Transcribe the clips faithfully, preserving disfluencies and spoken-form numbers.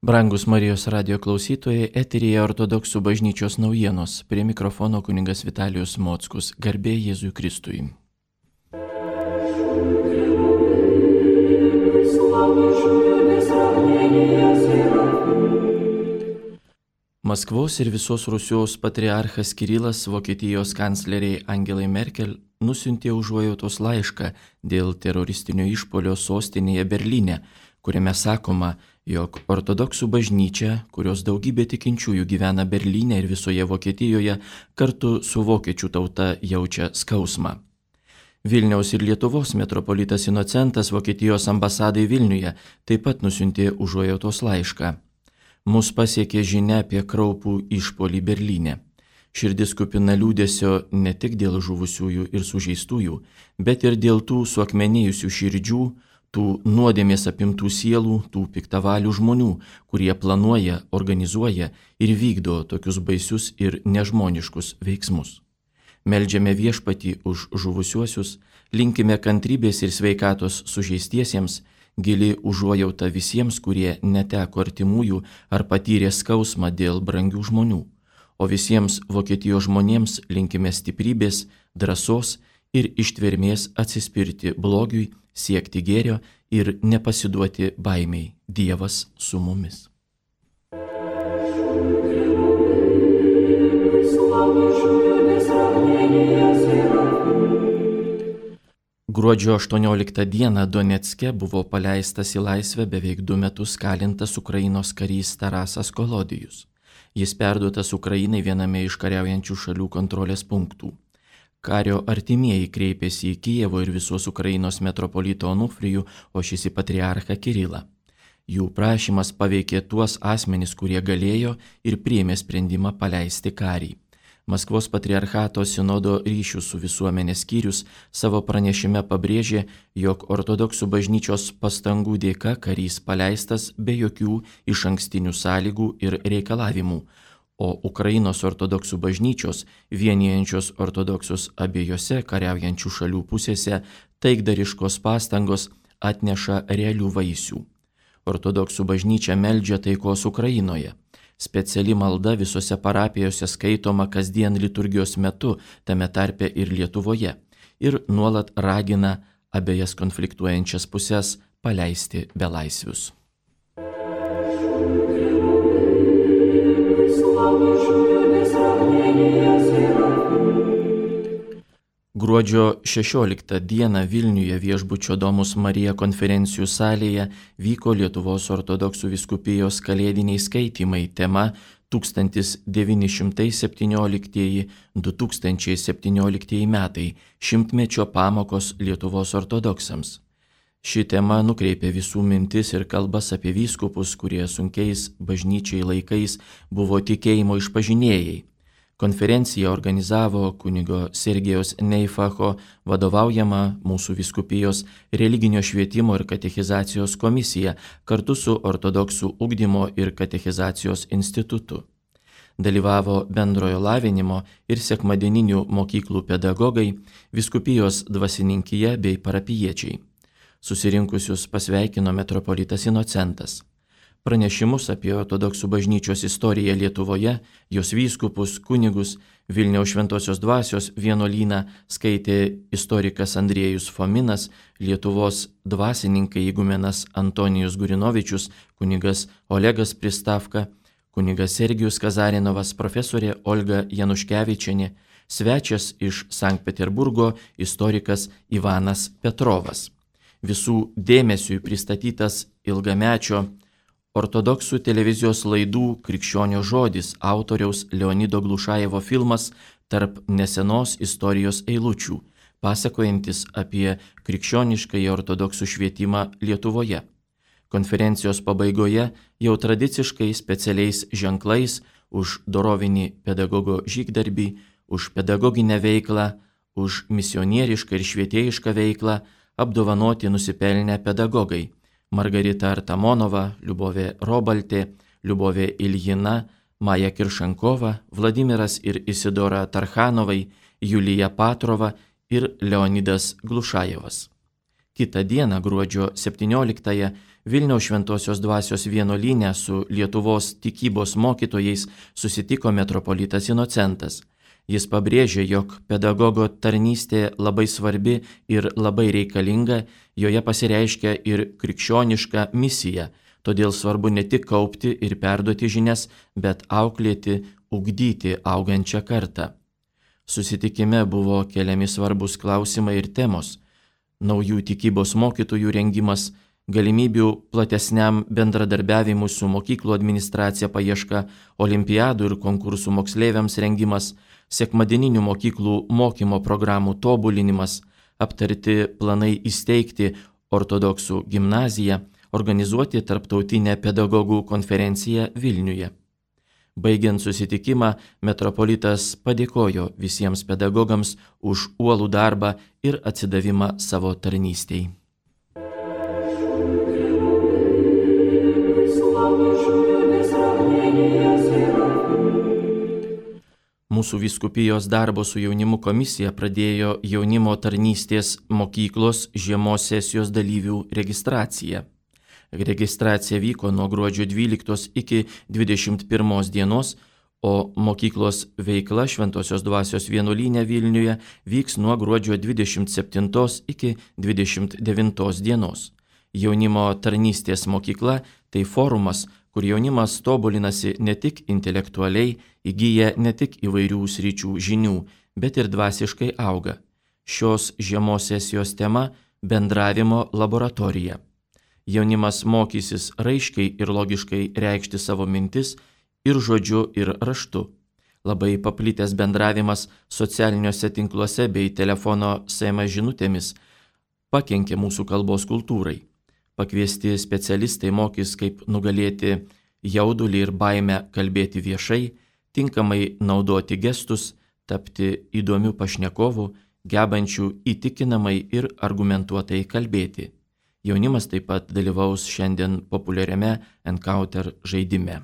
Brangus Marijos radijo klausytojai, eteryje Ortodoksų bažnyčios naujienos. Prie mikrofono kunigas Vitalijus Mockus. Garbė Jėzui Kristui. Maskvos ir visos Rusijos patriarchas Kirilas Vokietijos kancleriai Angelai Merkel nusiuntė užuojautos laišką dėl teroristinio išpuolio sostinėje Berlyne, kuriame sakoma, jog ortodoksų bažnyčia, kurios daugybė tikinčiųjų gyvena Berlyne ir visoje Vokietijoje, kartu su vokiečių tauta jaučia skausmą. Vilniaus ir Lietuvos metropolitas Inocentas Vokietijos ambasadai Vilniuje taip pat nusiuntė užuojautos laišką. Mus pasiekė žinia apie kraupų išpuolį Berlyne. Širdis kupina liūdesio ne tik dėl žuvusiųjų ir sužeistųjų, bet ir dėl tų suakmenėjusių širdžių, tų nuodėmės apimtų sielų, tų piktavalių žmonių, kurie planuoja, organizuoja ir vykdo tokius baisius ir nežmoniškus veiksmus. Meldžiame Viešpatį už žuvusiuosius, linkime kantrybės ir sveikatos sužeistiesiems, gili užuojauta visiems, kurie neteko artimųjų ar patyrė skausmą dėl brangių žmonių, o visiems Vokietijos žmonėms linkime stiprybės, drąsos ir ištvermės atsispirti blogiui, siekti gėrio ir nepasiduoti baimiai. Dievas su mumis. Gruodžio aštuonioliktą dieną Donecke buvo paleistas į laisvę beveik du metus kalintas Ukrainos karys Tarasas Kolodijus. Jis perduotas Ukrainai viename iš kariaujančių šalių kontrolės punktų. Kario artimieji kreipėsi į Kijevo ir visos Ukrainos metropolitą Onufrijų, o šis į patriarchą Kirilą. Jų prašymas paveikė tuos asmenis, kurie galėjo ir priėmė sprendimą paleisti karį. Maskvos patriarchato sinodo ryšių su visuomenės skyrius savo pranešime pabrėžė, jog ortodoksų bažnyčios pastangų dėka karys paleistas be jokių išankstinių sąlygų ir reikalavimų, o Ukrainos ortodoksų bažnyčios, vienijančios ortodoksus abiejose kariaujančių šalių pusėse, taikdariškos pastangos atneša realių vaisių. Ortodoksų bažnyčia meldžia taikos Ukrainoje. Speciali malda visose parapijose skaitoma kasdien liturgijos metu, tame tarpe ir Lietuvoje, ir nuolat ragina abejas konfliktuojančias pusės paleisti belaisvius. Gruodžio šešioliktą dieną Vilniuje viešbučio Domus Marija konferencijų salėje vyko Lietuvos ortodoksų vyskupijos kalėdiniai skaitymai tema tūkstantis devyni šimtai septynioliktieji - du tūkstančiai septynioliktieji metai - šimtmečio pamokos Lietuvos ortodoksams. Ši tema nukreipė visų mintis ir kalbas apie vyskupus, kurie sunkiais bažnyčiai laikais buvo tikėjimo išpažinėjai. Konferenciją organizavo kunigo Sergejaus Neifacho vadovaujama mūsų vyskupijos religinio švietimo ir katechizacijos komisija kartu su ortodoksų ugdymo ir katechizacijos institutu. Dalyvavo bendrojo lavinimo ir sekmadieninių mokyklų pedagogai, vyskupijos dvasininkija bei parapijiečiai. Susirinkusius pasveikino metropolitas Inocentas. Pranešimus apie ortodoksų bažnyčios istoriją Lietuvoje, jos vyskupus, kunigus, Vilniaus Šventosios dvasios vienuolyną skaitė istorikas Andriejus Fominas, Lietuvos dvasininkai igumenas Antonijus Gurinovičius, kunigas Olegas Pristavka, kunigas Sergijus Kazarinovas, profesorė Olga Januškevičienė, svečias iš Sankt Peterburgo istorikas Ivanas Petrovas. Visų dėmesiui pristatytas ilgamečio ortodoksų televizijos laidų Krikščionio žodis autoriaus Leonido Glušajevo filmas Tarp nesenos istorijos eilučių, pasakojantis apie krikščioniškąjį ortodoksų švietimą Lietuvoje. Konferencijos pabaigoje jau tradiciškai specialiais ženklais už dorovinį pedagogo žygdarbį, už pedagoginę veiklą, už misionierišką ir švietėjišką veiklą apdovanoti nusipelnę pedagogai Margarita Artamonova, Liubovė Robaltė, Liubovė Iljina, Maja Kiršankova, Vladimiras ir Isidora Tarchanovai, Julija Patrova ir Leonidas Glušajevas. Kitą dieną, gruodžio septynioliktąją, Vilniaus Šventosios Dvasios vienuolyne su Lietuvos tikybos mokytojais susitiko metropolitas Inocentas. Jis pabrėžė, jog pedagogo tarnystė labai svarbi ir labai reikalinga, joje pasireiškia ir krikščioniška misija, todėl svarbu ne tik kaupti ir perduoti žinias, bet auklėti, ugdyti augančią kartą. Susitikime buvo keliami svarbus klausimai ir temos: naujų tikybos mokytojų rengimas, galimybių platesniam bendradarbiavimui su mokyklų administracija paieška, olimpiadų ir konkursų moksleiviams rengimas, sekmadieninių mokyklų mokymo programų tobulinimas, aptarti planai įsteigti ortodoksų gimnaziją, organizuoti tarptautinę pedagogų konferenciją Vilniuje. Baigiant susitikimą, metropolitas padėkojo visiems pedagogams už uolų darbą ir atsidavimą savo tarnystei. Mūsų vyskupijos darbo su jaunimu komisija pradėjo jaunimo tarnystės mokyklos žiemos sesijos dalyvių registraciją. Registracija vyko nuo gruodžio dvyliktos iki dvidešimt pirmos dienos, o mokyklos veikla Šventosios Dvasios vienuolyne Vilniuje vyks nuo gruodžio dvidešimt septintos iki dvidešimt devintos dienos. Jaunimo tarnystės mokykla – tai forumas, kur jaunimas tobulinasi ne tik intelektualiai, įgyja ne tik įvairių sričių žinių, bet ir dvasiškai auga. Šios žiemos sesijos tema – bendravimo laboratorija. Jaunimas mokysis raiškiai ir logiškai reikšti savo mintis ir žodžiu, ir raštu. Labai paplitęs bendravimas socialiniuose tinkluose bei telefono S M S žinutėmis pakenkė mūsų kalbos kultūrai. Pakviesti specialistai mokys, kaip nugalėti jaudulį ir baimę kalbėti viešai, tinkamai naudoti gestus, tapti įdomių pašnekovų, gebančių įtikinamai ir argumentuotai kalbėti. Jaunimas taip pat dalyvaus šiandien populiariame Encounter žaidime.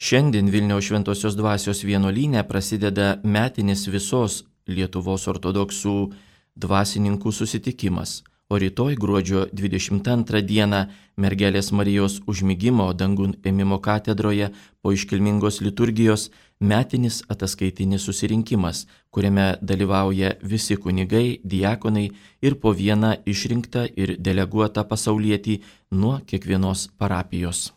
Šiandien Vilniaus Šventosios Dvasios vienuolyne prasideda metinis visos Lietuvos ortodoksų dvasininkų susitikimas, o rytoj gruodžio dvidešimt antrą dieną Mergelės Marijos užmigimo dangun ėmimo katedroje po iškilmingos liturgijos metinis ataskaitinis susirinkimas, kuriame dalyvauja visi kunigai, diakonai ir po vieną išrinktą ir deleguotą pasaulietį nuo kiekvienos parapijos.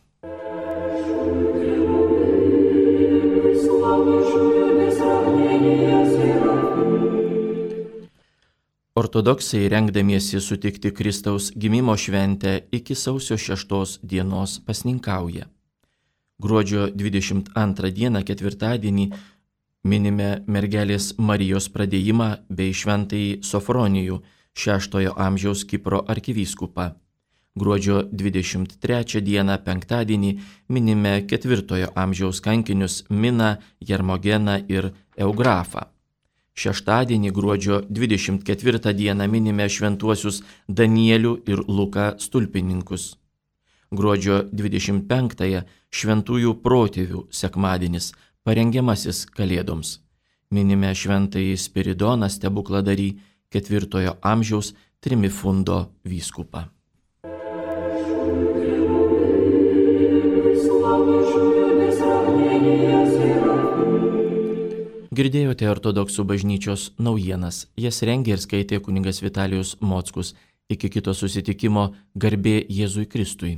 Ortodoksai, rengdamiesi sutikti Kristaus gimimo šventę, iki sausio šeštos dienos pasninkauja. Gruodžio dvidešimt antrą dieną, ketvirtadienį, minime Mergelės Marijos pradėjimą bei šventąjį Sofronijų, šeštojo amžiaus Kipro arkivyskupą. Gruodžio dvidešimt trečią dieną, penktadienį, minime ketvirtojo amžiaus kankinius Miną, Jermogeną ir Eugrafą. Šeštadienį, gruodžio dvidešimt ketvirtą dieną, minime šventuosius Danielių ir Luką stulpininkus. Gruodžio dvidešimt penktąją šventųjų protėvių sekmadienis, parengiamasis Kalėdoms. Minime šventąjį Spiridoną stebukladarį, ketvirtojo amžiaus Trimifundo vyskupą. Girdėjote ortodoksų bažnyčios naujienas. Jas rengė ir skaitė kunigas Vitalijus Mockus. Iki kito susitikimo, garbė Jėzui Kristui.